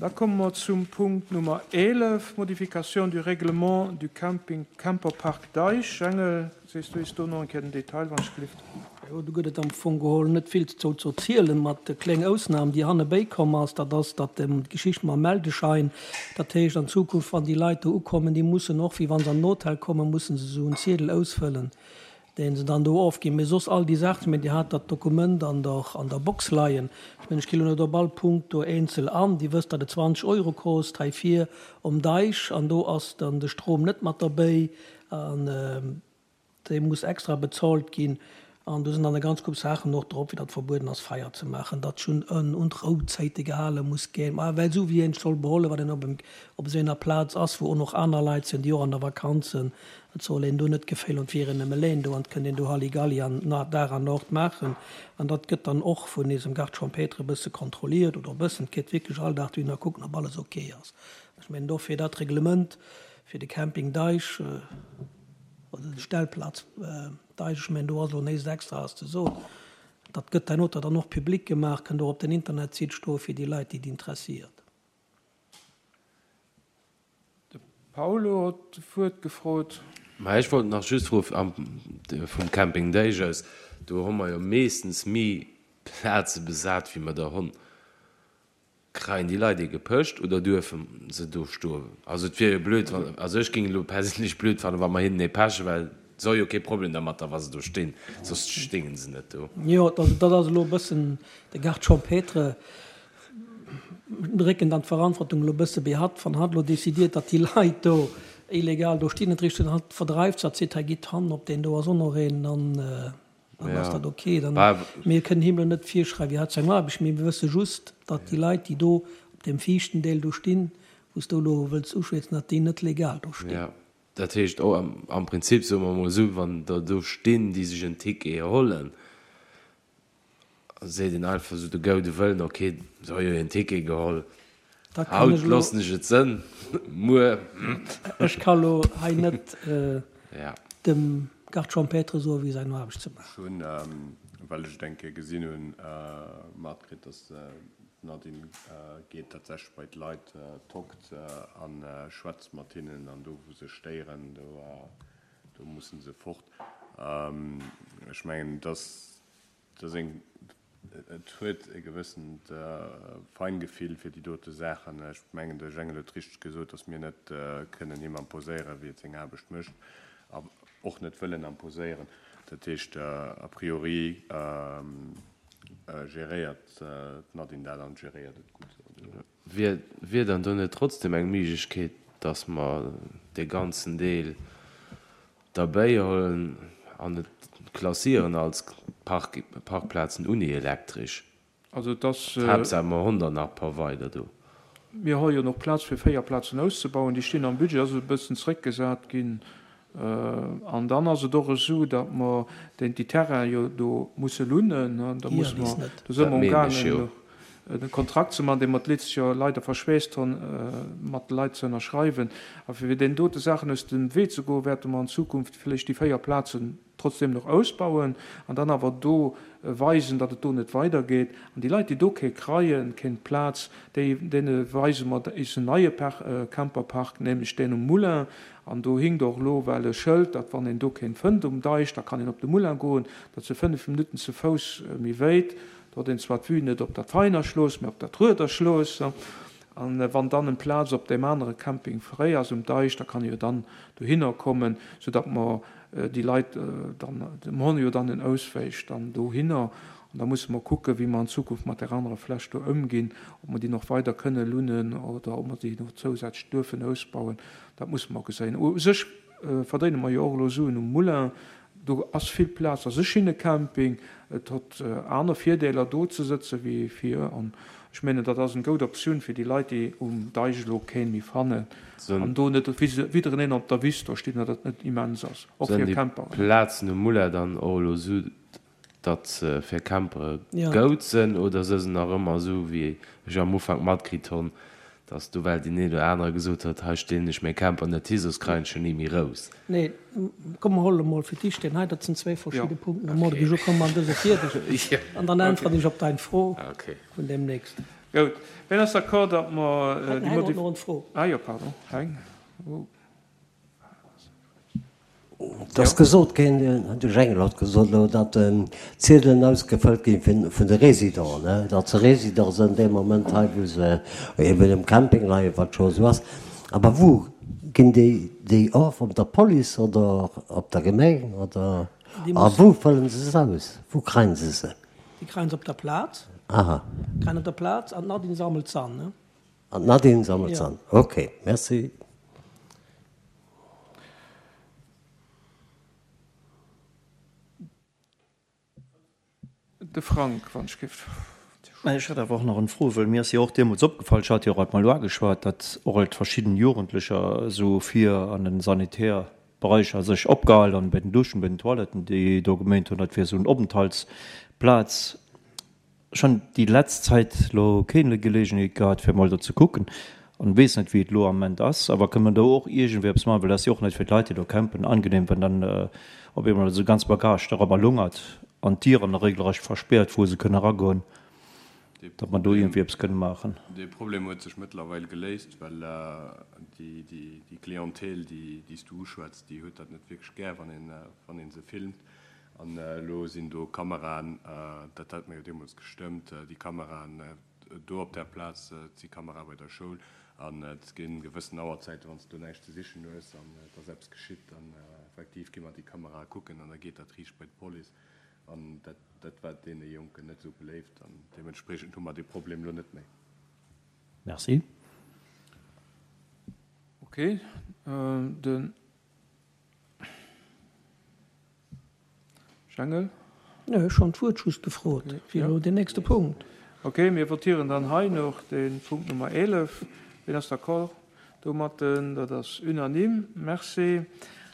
Da komme mer zum Punkt Nummer 11, Modification du règlement du camping Camperpark Deich. Jengel, sees du eis do nach eng Kéier den Detail, wann ech gelift? Jo, do gëtt et am Fong geholl net vill dozou ze erzielen, mat de kléng Ausnahm, déi hannebéi komm ass. Dat ass dat d'Geschicht mam Meldeschein. Dat heescht an Zukunft, wann déi Leit do ukommen, déi mussen och, wéi wa se an den Hotel kommen, mussen se esou en Ziedel ausfëllen, deen se dann do ofginn. Mee soss all déi Saachen, ech mengen, Dir hat dat Dokument an der, an der Box leien. Ech mengen, ech gi lo net op all Punkt do eenzel an. Dir wësst, datt et 20 Euro kost hei vir um Deich an do ass dann de Strom net mat derbéi an dee muss extra bezolt ginn. An do sinn dann e ganz Koup Saachen och drop, wéi datt verbueden ass, Feier ze maachen, datt schonn un d'Rouzäite gehale muss ginn, ma well esou wéi een sech soll beholen, wann een op em, op esou enger Plaz ass, wou och nach aner Leit sinn, déi och an der Vakanz sinn. Et soll een do net d'Geféll hunn, et wier een nëmme leen do an et kënnt een do Halligalli an Dag an Nord maachen. An dat gëtt dann och vun eisem Garde champêtre e bësse kontrolliert, oder e bëssen, et geet wierklech all Dag dohinner kucken, ob alles ok ass. Ech mengen dofir dat Reglement fir de Camping Deich oder de Stellplaz Deich, ech mengen do ass elo näischt Extraes ze soen. Dat gëtt hernoter dann och public gemaach, kënnt och op den Internetsite stoe fir déi Leit, déi et interessiert. De Paulo hott d'Wuert gefrot. Mä ech wollt nach just froen, vum Camping Deich aus, do hu mer jo meeschtens méi Plaze besat wéi mer der hunn. Kreien déi Leit ee gepëscht oder duerfe se do stoen? Also et wier jo blöd, wann, also ech géing et elo perséinlech blöd fannen, wa mer hinnen ee pechen, well se hu jo kee Problem dermatter, wa se do stinn, soss stéingen se net do. Jo, also dat ass elo e bëssen de Garde champêtre. Drécken dann d'Verantwortung elo e bësse bei hatt, wann hatt elo décidiert, datt déi Leit do illegal do stinn, et richt un hatt, verdreift se, hatt seet, hei gitt hannen op deen do ass och nach een, dann dann ass dat ok. Dann, mir kënnen him elo net virschreiwen, wéi hatt seng Aarbecht mécht, mir wësse just, datt déi Leit, déi do op deem viischten Deel do stinn, wou s du elo wëlls uschwätzen, datt déi net legal do stinn. Jo, dat heescht och am Prinzip, soe mer emol esou, wann der do stinn, déi sech en Ticket hollen, Seet een einfach esou de goude Wëllen, ok, se hu jo een Ticket geholl, haut loossen ech et sënn, muer. Ech ka lo hei net dem Garde champêtre soen, wéi säin Aarbecht ze maachen. Ech hunn, well ech et eng Kéier gesinn hunn, matkritt, dass d'Nadine geet tatsächlech bei d'Leit, tockt a schwätzt mat hinnen an do wou se stéieren, do musse se fort. Ech mengen, dass Et ass eng, et huet e gewëssent Feingefill fir déi dote Saachen. Ech mengen, de Jengel huet richteg gesot, datt mir net kënnen him imposéieren, wéi et seng Aarbecht mécht a och net wëllen imposéieren. Dat heescht, a priori geréiert d'Nadine dat an geréiert et gutt. Wier dann do net trotzdem eng Méiglechkeet, datt mer dee ganzen Deel derbäihuelen an et klassieren als Parkplazen unni elektresch? Also et ass. Haaptsaach mer honn der nach e paar weider do. Mir hu jo nach Plaz fir 4 Plazen auszebauen. Déi stinn am Budget, ass e bëssen zréckgesat ginn. An dann ass et och esou, datt mer déi Terrainen jo do musse lunnen. Da musse mer, do si mer amgaangen e Kontrakt ze maachen, dee mer d'letzt Joer leider verschwäerzt hunn, mat de Leit ze ënnerschreiwen. A fir deenen dote Saachen aus dem Wee ze goen, wäerte mer an Zukunft vläicht déi 4 Plazen trotzdem nach ausbauen an dann awer do weisen, datt et do net weidergeet. An déi Leit, déi do kee kreien, keng Plaz, déi, deene weise mer eisen neie Camperpark, nämlech deen um Moulin. An do hinkt och elo well e Schëld, datt wann een do keen fënnt um Deich, da kann een op de Moulin goen. Dat si 5 Minutten ze Fouss méi wéit. Do huet een zwar d'Vue net op dat Veiner Schlooss, mä op dat Rueder Schlooss. An wann dann en Plaz op deem anere Camping fréi ass um Deich, da kann e jo dann dohinner kommen, soudatt mer déi Leit dann, mer hunn jo dann en Auswéich dann dohinner. An da musse mer kucken, wéi mer an Zukunft mat där anerer Fläch do ëmginn, ob mer déi nach weider kënne lunnen oder ob mer déi nach zousätzlech duerfen ausbauen. Dat musse mer geséien. U sech verdéine mer jo och elo Suen um Moulin. Do ass vill Plaz, ass e schinne Camping. Et hott aner Virdeeler do ze sëtze wéi vir. An ech menen, dat ass en goud Optioun fir déi Leit, déi um Deich elo keen méi fannen an do net widdereneen op der Wiss do stinn, dat et net immens ass, och fir Camperen. Sënn déi Plazen um Moulin dann och elo esou, datt se fir Campere goud sënn, oder së se nach ëmmer esou, wéi ech am Ufank matkritt honn, datt do well deen een oder anere gesot huet, hei stellen ech mäi Camper net hi, soss kreien ech en ni méi rous. Nee, komm mer huele mol fir d'éischt deen hei, dat sinn zwéi verschidde Punkten. Am Morde ginn ech ukomm an dëse fierdeg an dann äntweren ech op dein Fro vun deemnächst. Goud. Wien ass d'accord, datt mer déi Heng huet nach eng Fro. Ah jo, pardon, Heng. Et ass gesot ginn, de Jengel huet gesot elo, datt d'Ziedelen ausgefëllt gi vun de Résidenten, datt se Résident sinn dee Moment hei, wou se eben um Camping leien, wat scho esou ass. Awer wou ginn déi déi of? Op der Police oder op der Gemeng oder? A wou fëllen se se aus? Wou kréien se se? Déi kréien se op der Plaz. Aha. Kréien op der Plaz an d'Nadine sammelt se an. An d'Nadine sammelt se an. Ok, merci. De Frank, wann ech géif. Mä ech hätt awer och nach en Fro, wëll mir ass jo och deemools opgefall, ech hat jo och alt mol uageschwat, datt och alt verschidden Jugendlecher esou vir an den Sanitärberäicher sech opgehal an bei den Duschen, bei den Toiletten, déi do geméint hunn, dat wier esou en Openthaltsplaz. Ech hunn déi letzt Zäit lo keen Gelegenheet gehat fir mol do ze kucken an weess net wéi et lo am Ament ass, awer kënnt mer do och iergendwéi eppes maachen, well dat ass jo och net fir d'Leit déi do campen angenehm wann dann op eemol esou ganz Bagage dorobber lungert an d'Dieren regelrecht verspäert wou se kënne eragoen, datt mer do iergendwéi eppes kënne maachen. Dee Problem huet sech mëttlerweil geléist, well déi Clientèle déi s du uschwätz, déi huet dat net wierklech gär wann een se filmt. An elo sinn do Kameraen, dat hat mer jo deemools gestëmmt, déi Kameraen do op där Plaz, et si Kamerae bei der Schoul an et gi gewëssen Auerzäiten, wann s de do näischt ze sichen hues an et ass eppes geschitt, dann effektiv gi mer déi Kamerae kucken an da geet dat riicht bei d'Police. An dat, dat war deene Jonken net esou beléift an deementspriechend hu mer dee Problem elo net méi. Merci. Okay, den. Jangel? Nee, ech hunn d'Wuert just gefrot fir elo deen nächste Punkt. Okay, mir votieren dann hei nach de Punkt Nummer 11. Wien ass d'accord domatten? Dat ass unanime. Merci.